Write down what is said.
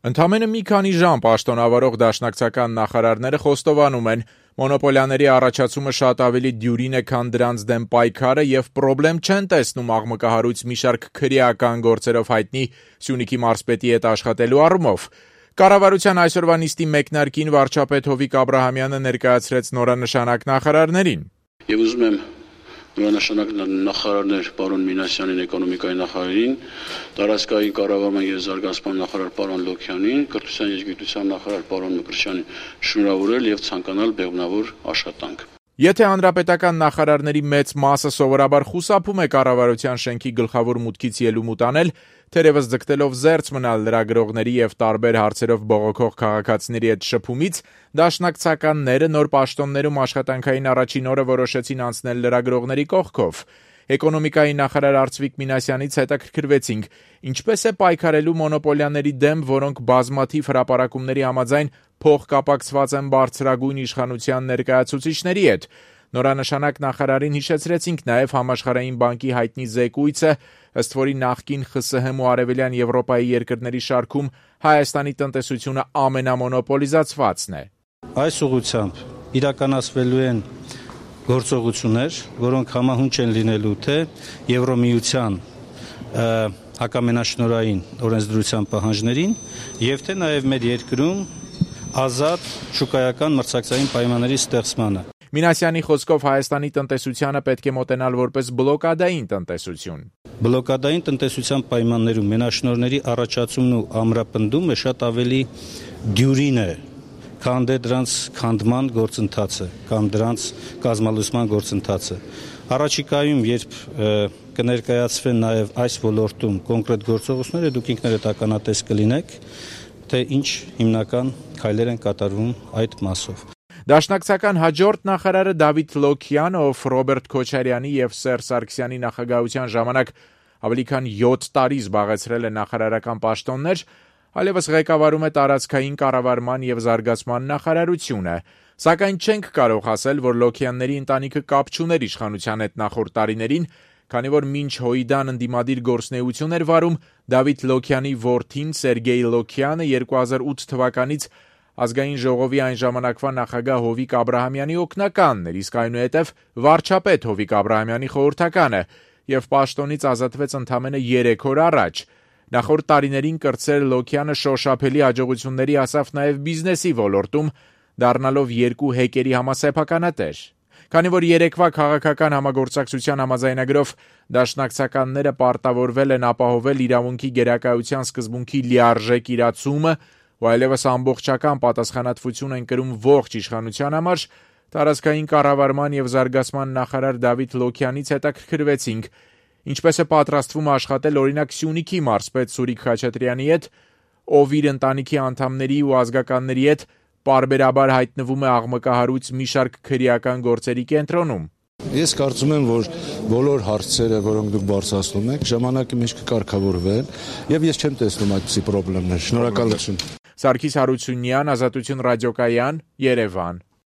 Ընդամենը մի քանի ժամ պաշտոնավարող դաշնակցական նախարարները խոստովանում են, մոնոպոլիաների առաջացումը շատ ավելի դյուրին է, քան դրանց դեմ պայքարը եւ պրոբլեմ չեն տեսնում աղմկահարույց մի շարք քրեական գործերով հայտնի Սյունիքի մարզպետի հետ աշխատելու առումով։ Կառավարության այսօրվա նիստի մեկնարկին վարչապետ Հովիկ Աբրահամյանը ներկայացրեց նորանշանակ նախարարներին։ Եվ ուզում եմ նորանշանակ նախարարներ պարոն Մինասյանին, էկոնոմիկայի նախարարին, տարածքային կառավարման եւ զարգացման նախարար պարոն Լոքյանին, կրթության եւ գիտության նախարար պարոն Մկրտչյանին շնորհավորել եւ ցանկանալ բեղմնավոր աշխատանք։ Եթե հանրապետական նախարարների մեծ մասը սովորաբար խուսափում է կառավարության շենքի գլխավոր մուտքից ելումուտ անել, թերևս ձգտելով զերծ մնալ լրագրողների եւ տարբեր հարցերով բողոքող քաղաքացիների հետ շփումից, դաշնակցականները նոր պաշտոններում աշխատանքային առաջին օրը որոշեցին անցնել լրագրողների կողքով։ Էկոնոմիկայի նախարար Արծվիկ Մինասյանից հետաքրքրվեցինք, ինչպես է պայքարելու մոնոպոլիաների դեմ, որոնք բազմաթիվ հրապարակումների համաձայն փոխկապակցված են բարձրագույն իշխանության ներկայացուցիչների հետ։ Նորանշանակ նախարարին հիշեցրեցինք նաև Համաշխարհային բանկի հայտնի զեկույցը, ըստ որի նախկին ԽՍՀՄ ու Արևելյան Եվրոպայի երկրների շարքում Հայաստանի տնտեսությունը ամենամոնոպոլիզացվածն է։ Այս ուղղությամբ իրականացվելու են գործողություններ, որոնք համահունչ են լինելու թե Եվրոմիության հակամենաշնորհային օրենսդրության պահանջներին եւ թե նաեւ մեր երկրում ազատ շուկայական մրցակցային պայմանների ստեղծմանը։ Մինասյանի խոսքով Հայաստանի տնտեսությանը պետք է մոտենալ որպես բլոկադային տնտեսություն։ Բլոկադային տնտեսության պայմաններում մենաշնորհների առաջացումն ու ամրապնդումը շատ ավելի դյուրին է, քան դրանց քանդման գործընթացը կամ դրանց կազմալուսման գործընթացը։ Առաջիկայում, երբ կներկայացվեն նաև այս ոլորտում կոնկրետ գործողությունները, դուք ինքներդ ականատես կլինեք, թե ինչ հիմնական քայլեր են կատարվում այդ մասով։ Դաշնակցական հաջորդ նախարարը Դավիթ Լոքյանը, ով Ռոբերտ Քոչարյանի եւ Սերժ Սարգսյանի նախագահության ժամանակ ավելի քան 7 տարի զբաղեցրել է նախարարական պաշտոններ, այլևս ղեկավարում է տարածքային կառավարման եւ զարգացման նախարարությունը, սակայն չենք կարող ասել, որ Լոքյանների ընտանիքը կապ չուներ իշխանության հետ նախորդ տարիներին, քանի որ մինչ Հոյդան ընդդիմադիր գործունեություն էր վարում, Դավիթ Լոքյանի որդին Սերգեյ Լոքյանը 2008 թվականից Ազգային ժողովի այն ժամանակվա նախագահ Հովիկ Աբրահամյանի օգնականն էր, իսկ այնուհետև վարչապետ Հովիկ Աբրահամյանի խորհրդականը եւ պաշտոնից ազատվեց ընդամենը 3 օր առաջ։ Նախորդ տարիներին կրտսեր Լոքյանը շոշափելի հաջողությունների հասավ նաև բիզնեսի ոլորտում, դառնալով 2 հեկերի համասեփականատեր։ Քանի որ երեկվա քաղաքական համագործակցության համաձայնագրով դաշնակցականները պարտավորվել են ապահովել իրավունքի գերակայության սկզբունքի լիարժեք իրացումը, ու այլևս ամբողջական պատասխանատվություն են կրում ողջ իշխանության համար, տարածքային կառավարման եւ զարգացման նախարար Դավիթ Լոքյանից հետաքրքրվեցինք, ինչպես է պատրաստվում աշխատել օրինակ Սյունիքի մարզպետ Սուրիկ Խաչատրյանի հետ, ով իր ընտանիքի անդամների ու ազգականների հետ պարբերաբար հայտնվում է աղմկահարույց մի շարք քրեական գործերի կենտրոնում։ Ես կարծում եմ, որ բոլոր հարցերը, որոնք դուք բարձրացնում եք, ժամանակի մեջ կկարգավորվեն, եւ ես չեմ տեսնում այդպիսի խնդիրներ։ Շնորհակալություն։ Սարգիս Հարությունյան, Ազատություն ռադիոկայան, Երևան։